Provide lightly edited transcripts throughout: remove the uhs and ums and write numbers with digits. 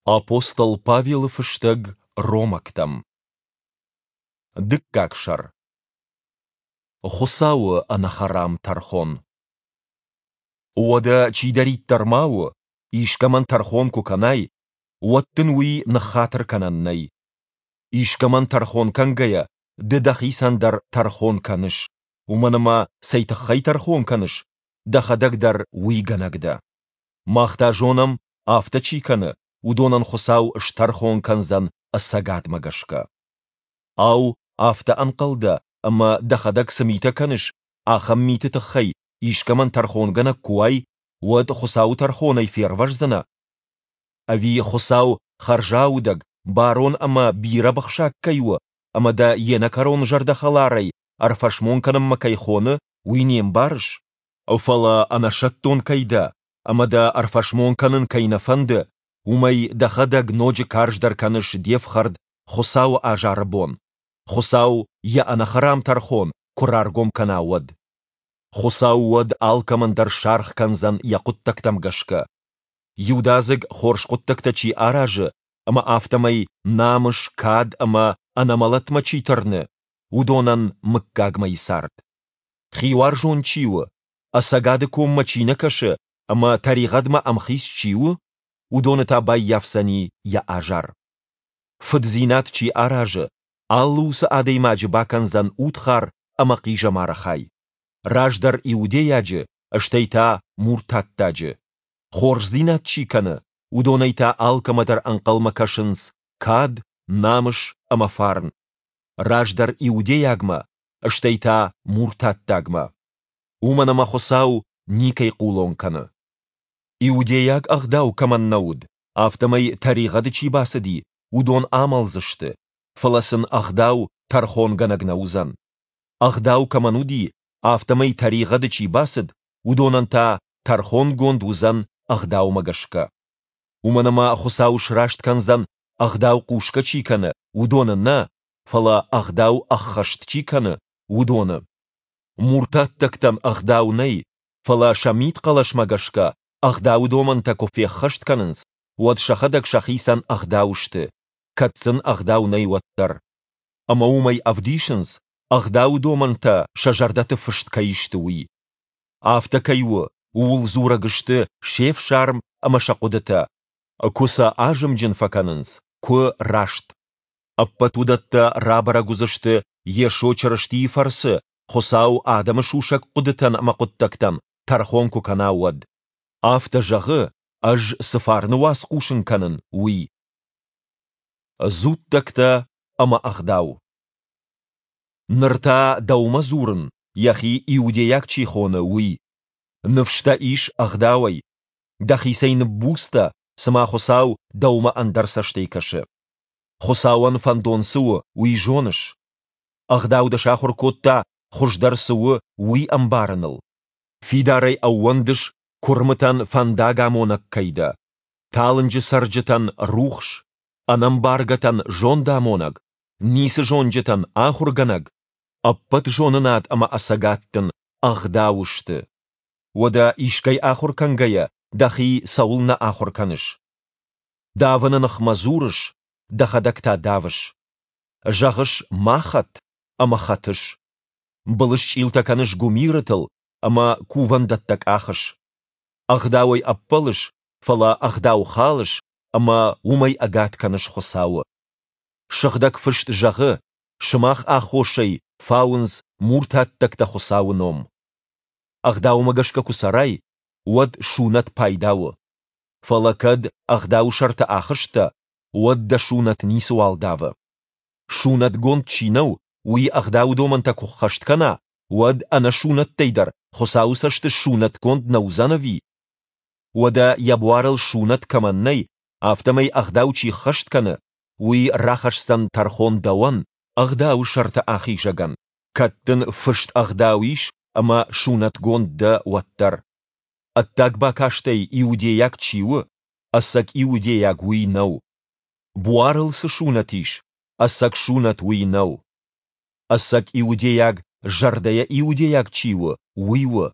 Апостол Павелы фыстӕг Ромӕгтӕм. Дыккаг сӕр. Хуыцауы ӕнӕхӕрам тӕрхон. Уӕдӕ чидӕриддӕр ма у, искӕмӕн тӕрхон куы кӕнай, уӕд дын уый ныххатыр кӕнӕн нӕй. Искӕмӕн тӕрхон кӕнгӕйӕ, ды дӕхицӕн дӕр тӕрхон кӕныс, уымӕн ӕмӕ цӕй тыххӕй тӕрхон кӕныс, дӕхӕдӕг дӕр уый гӕнӕг дӕ. Мах та зонӕм, афтӕ чи кӕны, уыдонӕн Хуыцау стӕрхон кӕндзӕн ӕцӕгадмӕ гӕсгӕ. Ау, афтӕ ӕнхъӕл дӕ, ӕмӕ дӕхӕдӕг цы митӕ кӕныс, ахӕм миты тыххӕй искӕмӕн тӕрхонгӕнӕг куы уай, уӕд Хуыцауы тӕрхонӕй фервӕздзынӕ? Ӕви Хуыцау хӕрзаудӕг, барон ӕмӕ бирӕбыхсаг кӕй у ӕмӕ дӕ йе нӕкӕрон зӕрдӕхӕларӕй ӕрфӕсмон кӕнынмӕ кӕй хоны, уый не мбарыс? Фӕлӕ ӕнӕсӕттон кӕй дӕ ӕмӕ дӕ ӕрфӕсмон кӕнын кӕй нӕ фӕнды, уымӕй дӕхӕдӕг ноджы карздӕр кӕныс де фхӕрд Хуыцауы азары бон, Хуыцау йӕ ӕнӕхӕрам тӕрхон куы раргом кӕна, уӕд. Хуыцау уӕд алкӕмӕн дӕр саргъ кӕндзӕн йӕ хъуыддӕгтӕм гӕсгӕ. Иудадзыг хорз хъуыддӕгтӕ чи аразы ӕмӕ афтӕмӕй намыс, кад ӕмӕ ӕнӕмӕлӕтмӕ чи тырны, уыдонӕн мыггагмӕйы цард. Хиуарзон чи у, ӕцӕгады коммӕ чи нӕ кӕсы ӕмӕ тӕригъӕдмӕ ӕмхиц чи у, уыдоны та баййафдзӕни йӕ азар. Фыддзинад чи аразы, алы уыцы адӕймаджы бакӕндзӕн удхар ӕмӕ хъизӕмары хай. Раздӕр иудейаджы, стӕй та муртаттаджы. Хорздзинад чи кӕны, уыдонӕй та алкӕмӕ дӕр ӕнхъӕлмӕ кӕсынц кад, намыс ӕмӕ фарн. Раздӕр иудейагмӕ, стӕй та муртаттагмӕ. Уымӕн ӕмӕ Хуыцау никӕй хъулон кӕны. Иудейаг ӕгъдау кӕмӕн нӕ уыд, афтӕмӕй тӕригъӕды чи бацыди, уыдон амӕлдзысты, фӕлӕ сын ӕгъдау тӕрхонгӕнӕг нӕ уыдзӕн. Ӕгъдау кӕмӕн уыди, афтӕмӕй тӕригъӕды чи бацыд, уыдонӕн та тӕрхонгонд уыдзӕн ӕгъдаумӕ гӕсгӕ. Уымӕн ӕмӕ Хуыцау сраст кӕндзӕн, ӕгъдау хъусгӕ чи кӕны, уыдоны нӕ, фӕлӕ ӕгъдау ӕххӕст чи кӕны, уыдоны. Муртаттӕгтӕн ӕгъдау нӕй, фӕлӕ сӕ мидхъӕлӕсмӕ гӕсгӕ ӕгъдауы домӕнтӕ куы феххӕст кӕнынц, уӕд сӕхӕдӕг сӕхицӕн ӕгъдау сты, кӕд сын ӕгъдау нӕй, уӕддӕр. Ӕмӕ уымӕй ӕвдисынц, ӕгъдауы домӕнтӕ сӕ зӕрдӕты фыст кӕй сты, уый. Афтӕ кӕй у, ууыл дзурӕг сты се фсарм ӕмӕ сӕ хъуыдытӕ, куы сӕ азымджын фӕкӕнынц, куы раст. Ӕппӕт уыдӕттӕ рабӕрӕг уыдзысты Йесо Чырыстийы фӕрцы, Хуыцау адӕмы сусӕг хъуыдытӕн ӕмӕ хъуыддӕгтӕн тӕрхон куы кӕна, уӕд. Афтӕ зӕгъы, ӕз цы фарны уац хъусын кӕнын, уый. Дзуттӕгтӕ ӕмӕ ӕгъдау. Ныр та дӕумӕ дзурын, йӕхи иудейаг чи хоны, уый. Ныфс дӕ ис ӕгъдауӕй. Дӕхицӕй ныббуц дӕ, цыма Хуыцау дӕумӕ ӕндӕр цӕстӕй кӕсы. Хуыцауӕн фӕндон цы у, уый зоныс? Ӕгъдау дӕ сахуыр кодта, хуыздӕр цы у, уый ӕмбарыныл. Фидарӕй ӕууӕндыс, куырмытӕн фӕндагамонӕг кӕй дӕ, талынджы цӕрджытӕн рухс, ӕнӕмбаргӕтӕн зондамонӕг, ницы зонджытӕн ахуыргӕнӕг, ӕппӕт зонынад ӕмӕ ӕцӕгад дын ӕгъдау сты. Уӕдӕ искӕй ахуыр кӕнгӕйӕ дӕхи цӕуылнӕ ахуыр кӕныс? Давыны ныхмӕ дзурыс, дӕхӕдӕг та давыс. Зӕгъыс ма хӕт ӕмӕ хӕтыс. Былысчъилтӕ кӕныс гуымирытыл ӕмӕ кувӕндӕттӕ къахыс. Ӕгъдауӕй ӕппӕлыс, фӕлӕ ӕгъдау халыс ӕмӕ уымӕй ӕгад кӕныс Хуыцауы. Сыгъдӕг Фыст зӕгъы, сымах аххосӕй фауынц муртаттӕгтӕ Хуыцауы ном. Ӕгъдаумӕ гӕсгӕ куы цӕрай, уӕд сунӕт пайда у. Фӕлӕ кӕд ӕгъдауы сӕрты ахызтӕ, уӕд дӕ сунӕт ницыуал давы. Сунӕтгонд чи нӕу, уый ӕгъдауы домӕнтӕ куы ххӕст кӕна, уӕд ӕнӕ сунӕттӕй дӕр Хуыцауы цӕсты сунӕтгонд нӕ уыдзӕн ӕви? Уӕдӕ йӕ буарыл сунӕт кӕмӕн нӕй, афтӕмӕй ӕгъдау чи ххӕст кӕны, уый рахӕсдзӕн тӕрхон дӕуӕн, ӕгъдауы сӕрты ахизӕгӕн, кӕд дын фыст ӕгъдау ис ӕмӕ сунӕтгонд дӕ, уӕддӕр. Ӕддаг бакастӕй иудейаг чи у, ӕцӕг иудейаг уый нӕу. Буарыл цы сунӕт ис, ӕцӕг сунӕт уый нӕу. Ӕцӕг иудейаг зӕрдӕйӕ иудейаг чи у, уый у.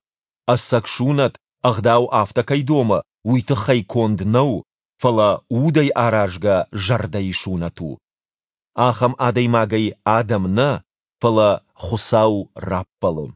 Ӕцӕг сунӕт, ӕгъдау афтӕ кӕй домы, уый тыххӕй конд нӕу. фӕлӕ удӕй аразгӕ зӕрдӕйы сунӕт у. Ахӕм адӕймагӕй адӕм нӕ, фӕлӕ Хуыцау раппӕлы.